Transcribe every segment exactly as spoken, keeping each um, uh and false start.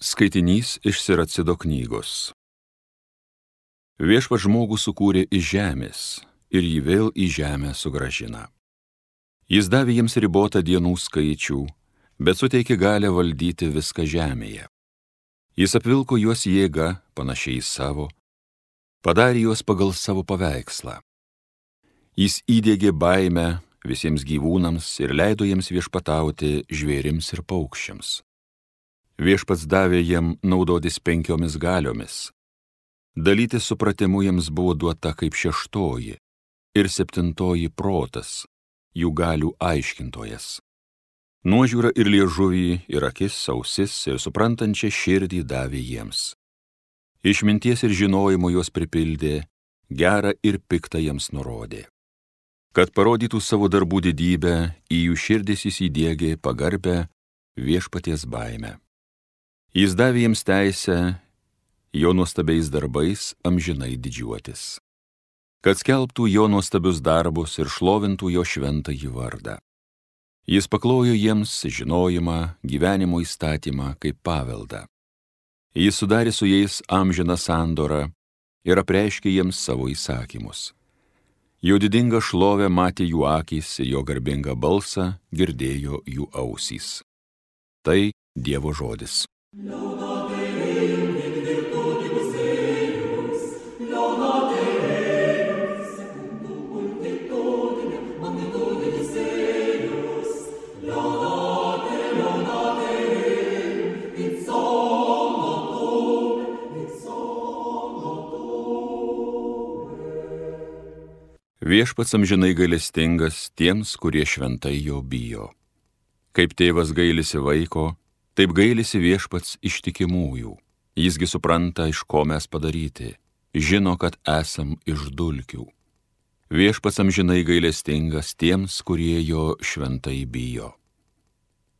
Skaitinys iš Siracido knygos. Viešpats žmogų sukūrė iš žemės ir jį vėl į žemę sugrąžina. Jis davė jiems ribotą dienų skaičių, bet suteikė galią valdyti viską žemėje. Jis apvilko juos jėga, panašiai į savo, padarė juos pagal savo paveikslą. Jis įdiegė baimę visiems gyvūnams ir leido jiems viešpatauti žvėrims ir paukščiams. Viešpats davė jiem naudotis penkiomis galiomis. Dalyti supratimu jiems buvo duota kaip šeštoji ir septintoji protas, jų galių aiškintojas. Nuožiūra ir liežuvį, ir akis, ausis ir suprantančią širdį davė jiems. Išminties ir žinojimo juos pripildė, gerą ir piktą jiems nurodė. Kad parodytų savo darbų didybę, į jų širdis jis įdiegė pagarbę viešpaties baimę. Jis davė jiems teisę jo nuostabiais darbais amžinai didžiuotis, kad skelbtų jo nuostabius darbus ir šlovintų jo šventąjį vardą. Jis paklojo jiems žinojimą, gyvenimo įstatymą kaip paveldą. Jis sudarė su jais amžiną sandorą ir apreiškė jiems savo įsakymus. Jo didingą šlovę matė jų akys ir jo garbingą balsą girdėjo jų ausys. Tai Dievo žodis. Laudate Deum in virtutibus eius, laudate Deum secundum multitudinem magnitudibus eius, laudate, laudate Deum in somno tuum, in somno tuum. Viešpats amžinai gailestingas tiems, kurie šventai jo bijo. Kaip tėvas gailisi vaiko, taip gailisi viešpats ištikimųjų. Jisgi supranta, iš ko mes padaryti, žino, kad esam iš dulkių. Viešpats amžinai gailestingas tiems, kurie jo šventai bijo.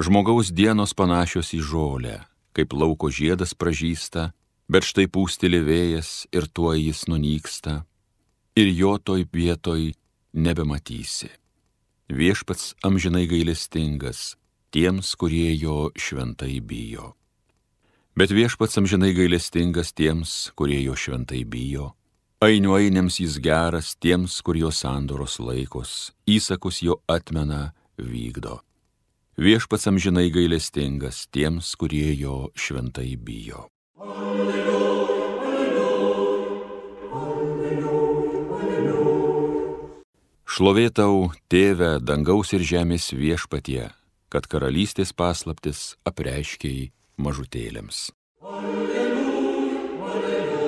Žmogaus dienos panašios į žolę, kaip lauko žiedas pražysta, bet štai pūsteli vėjas ir tuoj jis nunyksta, ir jo toj vietoj nebematysi. Viešpats amžinai gailestingas tiems, kurie jo šventai bijo. Bet viešpats amžinai gailestingas tiems, kurie jo šventai bijo. Ainių ainiams jis geras tiems, kur jo sandoros laikos, įsakus jo atmena, vykdo. Viešpats amžinai gailestingas tiems, kurie jo šventai bijo. Šlovė tau, Tėve, dangaus ir žemės viešpatie, kad karalystės paslaptis apreiškei mažutėlėms. Alleluja, alleluja.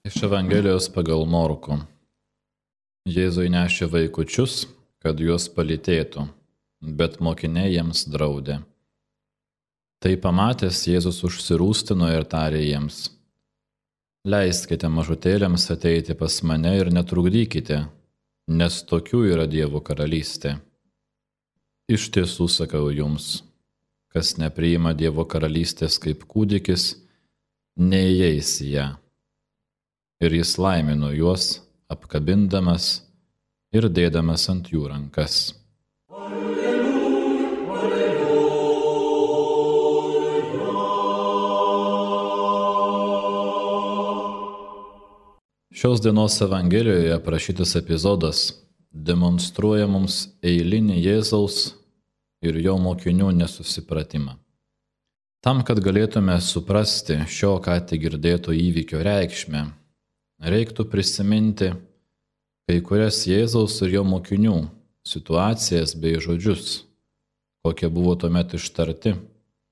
Iš Evangelijos pagal Morkų. Jėzui nešė vaikučius, kad juos palytėtų, bet mokiniai jiems draudė. Tai pamatęs Jėzus užsirūstino ir tarė jiems: Leiskite mažutėlėms ateiti pas mane ir netrukdykite, nes tokių yra Dievo karalystė. Iš tiesų sakau jums, kas nepriima Dievo karalystės kaip kūdikis, neįeis į ją. Ir jis laimino juos, apkabindamas ir dėdamas ant jų rankas. Šios dienos Evangelijoje aprašytas epizodas demonstruoja mums eilinį Jėzaus ir jo mokinių nesusipratimą. Tam, kad galėtume suprasti šio ką tik girdėto įvykio reikšmę, reiktų prisiminti kai kurias Jėzaus ir jo mokinių situacijas bei žodžius, kokie buvo tuomet ištarti,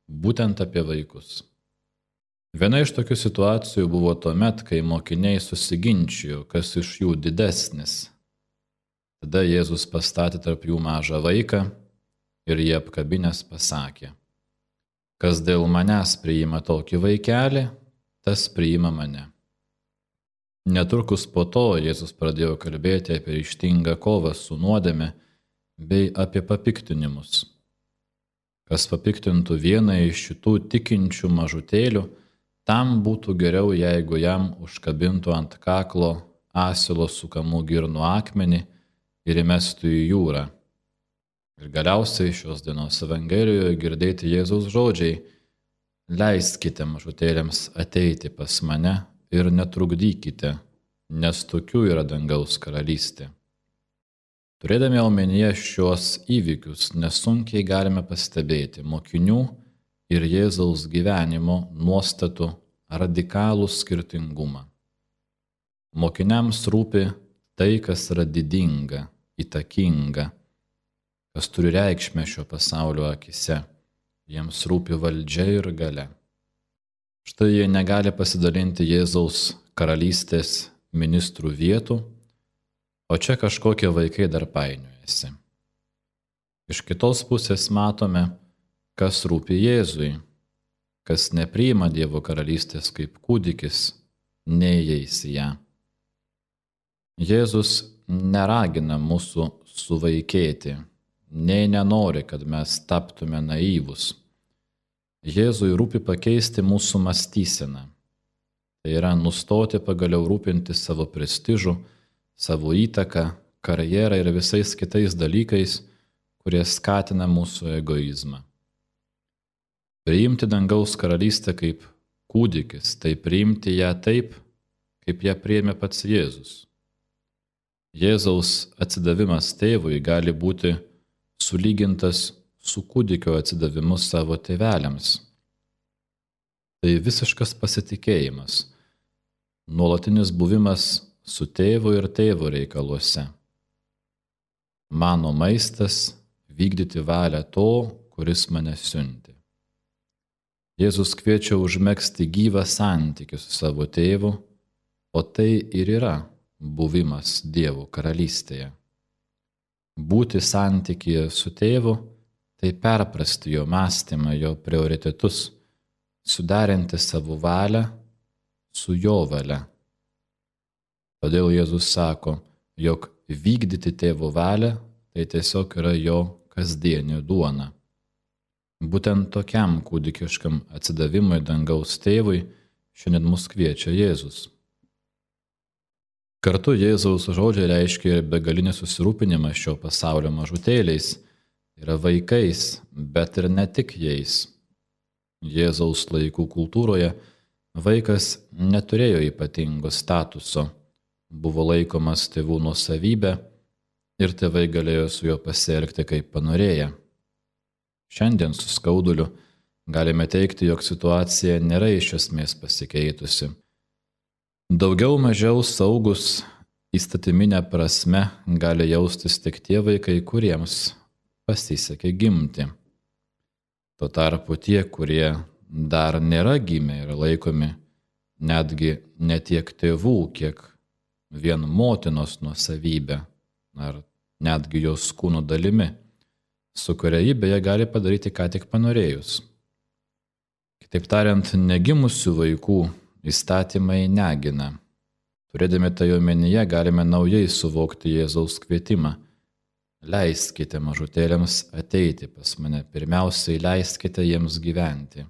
būtent apie vaikus. Viena iš tokių situacijų buvo tuomet, kai mokiniai susiginčijo, kas iš jų didesnis. Tada Jėzus pastatė tarp jų mažą vaiką ir jį apkabinęs pasakė: Kas dėl manęs priima tokį vaikelį, tas priima mane. Netrukus po to Jėzus pradėjo kalbėti apie ryžtingą kovą su nuodėme bei apie papiktinimus. Kas papiktintų vieną iš šitų tikinčių mažutėlių, tam būtų geriau, jeigu jam užkabintų ant kaklo asilo sukamų girnų akmenį ir įmestų į jūrą. Ir galiausiai šios dienos Evangelijoje girdėti Jėzaus žodžiai: leiskite mažutėliams ateiti pas mane ir netrukdykite, nes tokių yra dangaus karalystė. Turėdami omenyje šios įvykius, nesunkiai galime pastebėti mokinių ir Jėzaus gyvenimo nuostatų radikalų skirtingumą. Mokiniams rūpi tai, kas yra didinga, įtakinga, kas turi reikšmę šio pasaulio akise. Jiems rūpi valdžia ir galia. Štai jie negali pasidalinti Jėzaus karalystės ministrų vietų, o čia kažkokie vaikai dar painiojasi. Iš kitos pusės matome, kas rūpi Jėzui, kas nepriima Dievo karalystės kaip kūdikis, neįeis į ją. Jėzus neragina mūsų suvaikėti, nei nenori, kad mes taptume naivus. Jėzui rūpi pakeisti mūsų mąstyseną. Tai yra nustoti pagaliau rūpinti savo prestižu, savo įtaką, karjerą ir visais kitais dalykais, kurie skatina mūsų egoizmą. Priimti dangaus karalystę kaip kūdikis, tai priimti ją taip, kaip ją priėmė pats Jėzus. Jėzaus atsidavimas tėvui gali būti sulygintas su kūdikio atsidavimu savo tėveliams. Tai visiškas pasitikėjimas, nuolatinis buvimas su tėvu ir tėvo reikaluose. Mano maistas – vykdyti valią to, kuris mane siuntė. Jėzus kviečia užmegzti gyvą santykį su savo tėvu, o tai ir yra buvimas Dievo karalystėje. Būti santykyje su tėvu – tai perprasti jo mąstymą, jo prioritetus, suderinti savo valią su jo valia. Todėl Jėzus sako, jog vykdyti tėvo valią tai tiesiog yra jo kasdienė duona. Būtent tokiam kūdikiškam atsidavimui dangaus tėvui šiandien mus kviečia Jėzus. Kartu Jėzaus žodžiai reiškia ir begalinį susirūpinimą šio pasaulio mažutėliais, yra vaikais, bet ir ne tik jais. Jėzaus laikų kultūroje vaikas neturėjo ypatingo statuso, buvo laikomas tėvų nuosavybė ir tėvai galėjo su juo pasielgti kaip panorėję. Šiandien su skauduliu galime teigti, jog situacija nėra iš esmės pasikeitusi. Daugiau mažiau saugus įstatyminė prasme gali jaustis tik tie vaikai, kuriems pasisekė gimti. Tuo tarpu tie, kurie dar nėra gimę, yra laikomi netgi ne tiek tėvų, kiek vien motinos nuosavybė, ar netgi jos kūno dalimi, su kuria ji beje gali padaryti ką tik panorėjus. Kitaip tariant, negimusių vaikų įstatymai negina. Turėdami tai omenyje, galime naujai suvokti Jėzaus kvietimą. Leiskite mažutėliams ateiti pas mane, pirmiausiai leiskite jiems gyventi.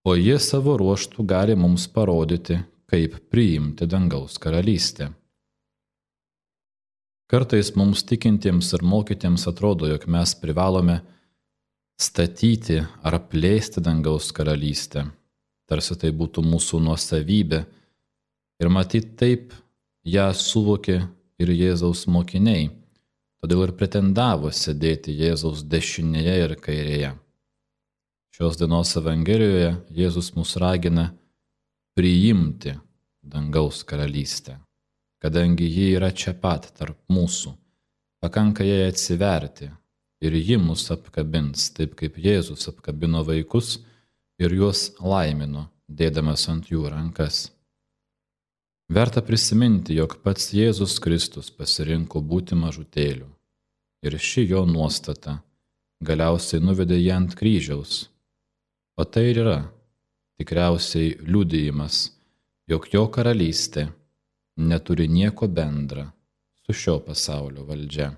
O jie savo ruožtų gali mums parodyti, kaip priimti dangaus karalystę. Kartais mums tikintiems ir mokytiems atrodo, jog mes privalome statyti ar plėsti dangaus karalystę, tarsi tai būtų mūsų nuosavybė, ir matyt taip ją suvokė ir Jėzaus mokiniai, todėl ir pretendavo sėdėti Jėzaus dešinėje ir kairėje. Šios dienos Evangelijoje Jėzus mus ragina priimti dangaus karalystę, kadangi ji yra čia pat tarp mūsų, pakanka jai atsiverti ir ji mus apkabins, taip kaip Jėzus apkabino vaikus ir juos laimino, dėdamas ant jų rankas. Verta prisiminti, jog pats Jėzus Kristus pasirinko būti mažutėliu ir ši jo nuostata galiausiai nuvedė jį ant kryžiaus, o tai ir yra tikriausiai liudijimas, jog jo karalystė neturi nieko bendra su šio pasaulio valdžia.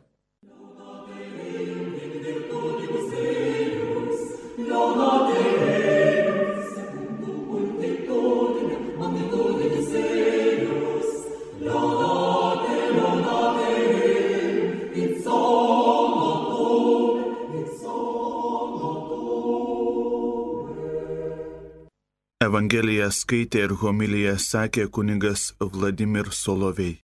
Evangeliją skaitė ir homiliją sakė kunigas Vladimir Solovej.